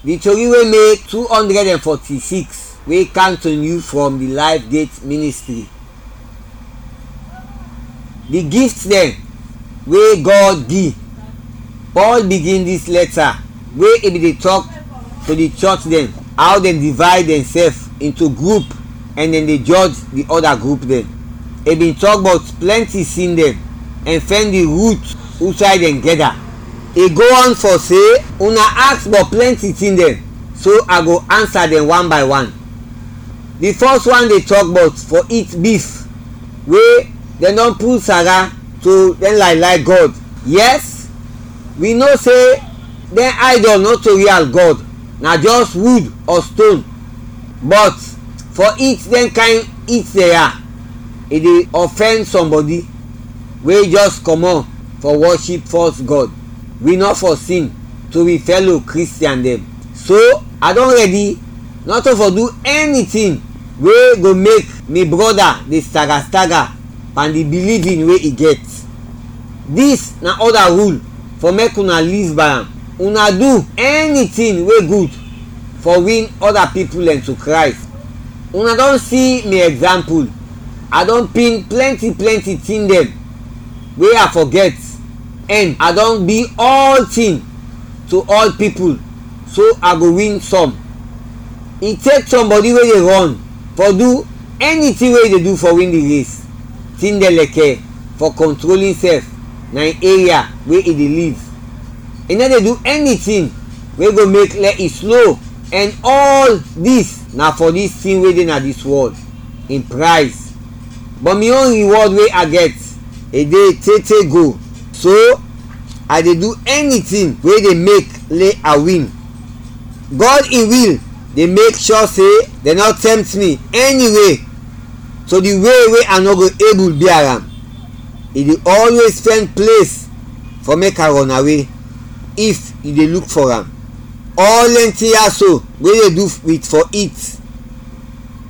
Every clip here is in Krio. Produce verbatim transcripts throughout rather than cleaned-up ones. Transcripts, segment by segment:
Di tori wey make two hundred and forty-six wey kam to new from di Life Gate Ministry. Di gift dem wey God gi. Paul bigin dis lɛta wey e bin de tɔk to di chɔch dem, aw dem divayd dɛnsɛf into grup ɛn dem de jɔj di ɔda grup dem. I bin tɔk bɔt plɛnti sin dem ɛn fɛn di rut usay dɛn gɛda. I go on fɔ se, una aks bɔt plɛnti tin dɛn, so a go ansa dɛn wan bay wan. Di fɔs wan de tɔk bɔt fɔ it bif we dɛn dɔn pul sara to dɛn laylay gɔd. Yɛs, wi no se dɛn aydɔl nɔto rial gɔd, na jɔs wud ɔ ston. Bɔt fɔ it dɛn kayn it dɛn ya, i de ɔfɛn sɔmbɔdi we jɔs kɔmɔt fɔ wɔship fɔs gɔd. Wi nɔ fɔ sin to wi fɛlo Kristian dɛn. So, a dɔn rɛdi nɔto fɔ du ɛni tin we go mek mi brɔda de staga-staga pan di bilivin we i gɛt. Dis na ɔda rul fɔ mek una liv bay am. Una du ɛni tin we gud fɔ win ɔda pipul dɛn to Krays. Una dɔn si mi ɛgzampul. A dɔn pin plɛnti plɛnti tin dɛn we a fɔ gɛt, ɛn a dɔn bi ɔltin to ɔl pipul, so a go win sɔm. I tek sɔmbɔdi we de rɔn fɔ du ɛni tin we i de du fɔ win di res. Tin dɛn lɛkɛ fɔ kɔntrol insɛf na in eria we i de liv. I nɔ de du ɛni tin we go mek lɛ i slo, ɛn ɔl dis na fɔ dis tin we de na dis wɔl, in prayz. Bɔt mi on riwɔd we a gɛt, i de te te go, so a de du ɛni tin we de mek lɛ a win. Gɔd in wil de mek shɔ se dɛn nɔ tɛmt mi ɛni we, to di we we a nɔ go ebul bia am. I de ɔlwez fɛn ples fɔ mek a rɔnawe, if yu de luk fɔ am. Ɔl dɛn tin ya so we de du wit fɔ it,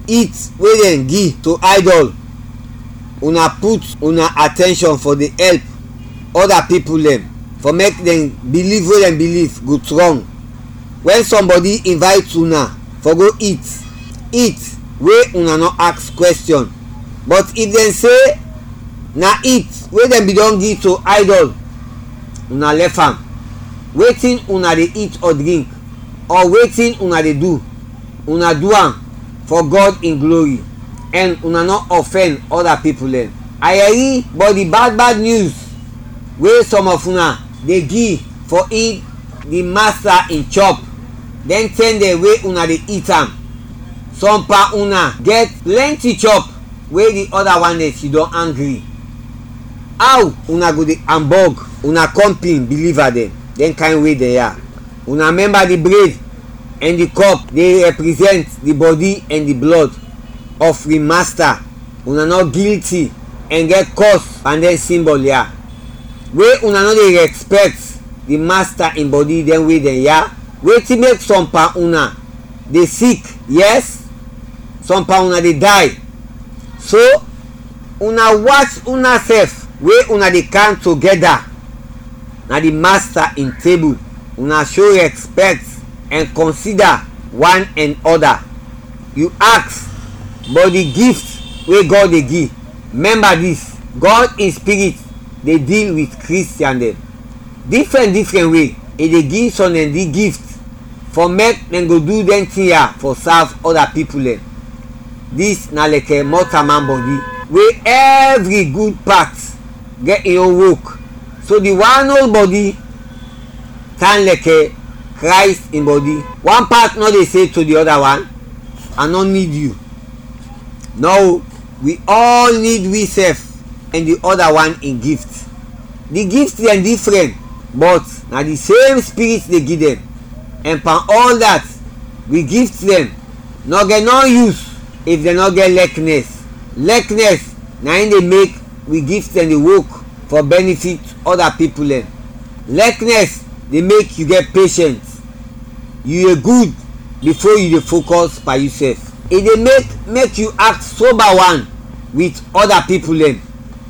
it we dɛn gi to aydɔl, una put una atɛnshɔn fɔ de ɛlp ɔda pipul dɛn fɔ mek dɛn biliv we dɛn biliv go strɔng. Wɛn sɔmbɔdi invayt una fɔ go it, it we una nɔ aks kwɛstiyɔn, bɔt if dɛn se na it we dɛn bin dɔn gi to aydɔl, una lɛf am. Wetin una de it ɔ drink, ɔ wetin una de du, una du am fɔ Gɔd in glori, ɛn una nɔ ɔfɛn ɔda pipul dɛn. A yɛri bɔt di bad bad nyus we sɔm ɔf una de gi fɔ it di Masta in chɔp, dɛn tɛm dɛn we una de it am. Sɔm pan una gɛt plɛnti chɔp we di ɔda wan dɛn sidɔm angri. Aw una go de ambɔg una kɔmpin biliva dɛn, dɛn kayn we dɛn ya? Una mɛmba di bred ɛn di kɔp de rɛprizɛnt di bɔdi ɛn di blɔd ɔf wi Masta. Una nɔ gilti ɛn gɛt kɔs pan dɛn simbɔl ya. We una nɔ de rɛspɛkt di Masta in bɔdi dɛn we dɛn ya? Wetin mek sɔm pan una de sik, yɛs, sɔm pan una de day? So, una wach unasɛf we una de kam togɛda na di Masta in tebul, una sho rɛspɛkt ɛn kɔnsida wan ɛn ɔda. Yu aks bɔt di gift we Gɔd de gi. Mɛmba dis, Gɔd in Spirit de dil wit Kristian dɛn. Difrɛn difrɛn we, i de gi sɔm dɛn di gift fɔ mek dɛn go du dɛn tin ya fɔ sav ɔda pipul dɛn. Dis na lɛkɛ mɔtaman bɔdi, we ɛvri gud pat gɛt in on wok, so di wan ol bɔdi tan lɛkɛ Krays in bɔdi. Wan pat nɔ de se to di ɔda wan, "A nɔ nid yu." Nɔ, wi ɔl nid wisɛf ɛn di ɔda wan in gift. Di gift dɛn difrɛn, bɔt na di sem Spirit de gi dɛn. Ɛn pan ɔl dat, wi gift dɛn nɔ gɛt nɔ yus if dɛn nɔ gɛt lɛknɛs. Lɛknɛs na in de mek wi gift dɛn de wok fɔ bɛnifit ɔda pipul dɛn. Lɛknɛs de mek yu gɛt peshɛns. Yu de gud bifo yu de fokɔs pan yusɛf. I de mek mek yu aks soba wan wit ɔda pipul dɛn,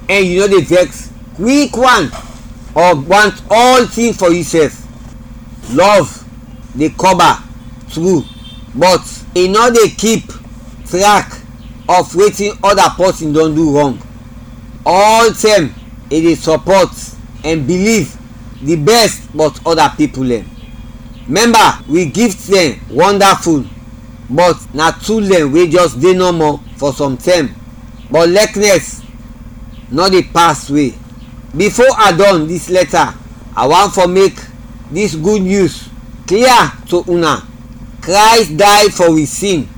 ɛn yu nɔ de vɛks kwik wan ɔ want ɔltin fɔ yusɛf. Lɔv de kɔba tru, but e nɔ dey keep track of wetin ɔda pɔsin dɔn du rɔng. Ɔltɛm e dey sɔpɔt ɛn biliv di bɛst bɔt ɔda pipul dɛn. Mɛmba, wi gift dɛn wɔndaful, but na tul dɛn we jɛs de nɔmɔ fɔ sɔm tɛm, but lɛknɛs nɔ de pas we. Bifo a dɔn dis lɛta, a want fɔ mek dis gud nyus klia to una. Krays day fɔ wi sin,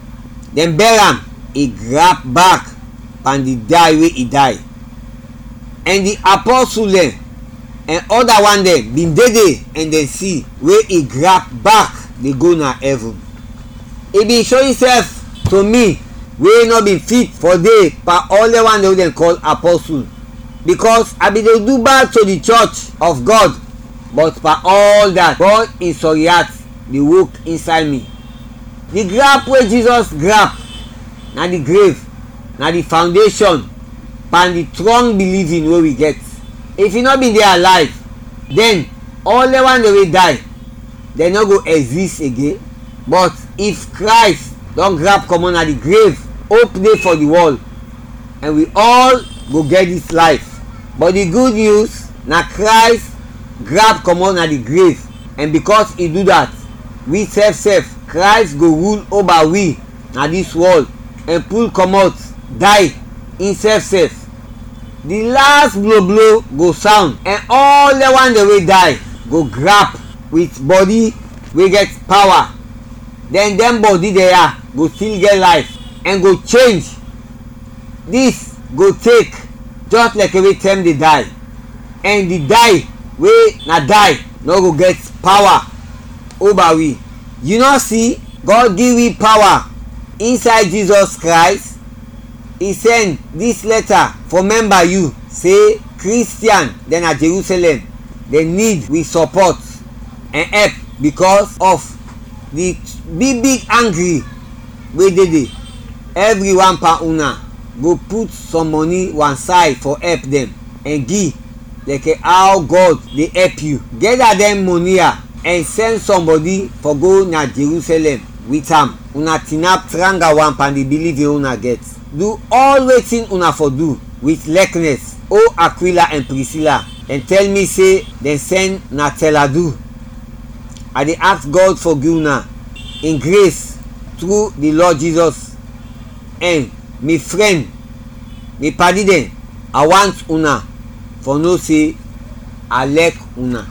dɛn bɛr am, i grap bak pan di day we i day. Ɛn di apɔsul dɛn ɛn ɔda wan dɛn bin de de ɛn dɛn si we i grap bak de go na ɛvin. I bin sho insɛf to mi we nɔ bin fit fɔ de pan ɔl dɛn wan dɛn we dɛn kɔl apɔsul, bikɔs a bin de du bad to di chɔch of Gɔd, bɔt pan ɔl dat, Gɔd in sɔri at de wok insay mi. Di grap we Jizɔs grap na di grev, na di fawndeshon pan di strɔng bilivin we wi gɛt. If i nɔ bin de alayv, dɛn ɔl dɛn wan dɛn we day, dɛn nɔ go ɛgzis igen. Bɔt if Krays dɔn grap kɔmɔt na di grev, op de fɔ di wɔl, ɛn wi ɔl go gɛt dis layf. Bɔt di gud nyus na Krays grap kɔmɔt na di grev, ɛn bikɔs i du dat, wi sɛf sɛf, Krays go rul oba wi na dis wɔl ɛn pul kɔmɔt day insɛf sɛf. Di las bloblo go sawnd, ɛn ɔl dɛn wan dɛn we day go grap wit bɔdi we gɛt pawa. Dɛn dɛn bɔdi dɛn ya go stil gɛt layf ɛn go chenj. Dis go tek jɛs lɛkɛ we tɛm de day, ɛn di day we na day nɔ go gɛt pawa oba wi. Yu nɔ si, Gɔd gi wi pawa insay Jizɔs Krays. I sɛn dis lɛta fɔ mɛmba yu se Kristian dɛn na Jerusɛlɛm, dɛn nid wi sɔpɔt ɛn ɛp bikɔs ɔf di big big angri we de de. Ɛvri wan pan una go put sɔm mɔni wansay fɔ ɛp dɛn ɛn gi lɛkɛ aw Gɔd de ɛp yu. Gɛda dɛn mɔni ya ɛn sɛn sɔmbɔdi fɔ go na Jerusɛlɛm wit am. Una tinap tranga wan pan di bilivin we una gɛt. Du ɔl wetin una fɔ du wit lɛknɛs. O Akwila ɛn Prisila, dɛn tɛl mi se dɛn sɛn na tɛladu. A de aks Gɔd fɔ gi una in gres tru di Lɔd Jizɔs. Ɛn mi frɛn, mi padi dɛn, a want una fɔ no se a lɛk una.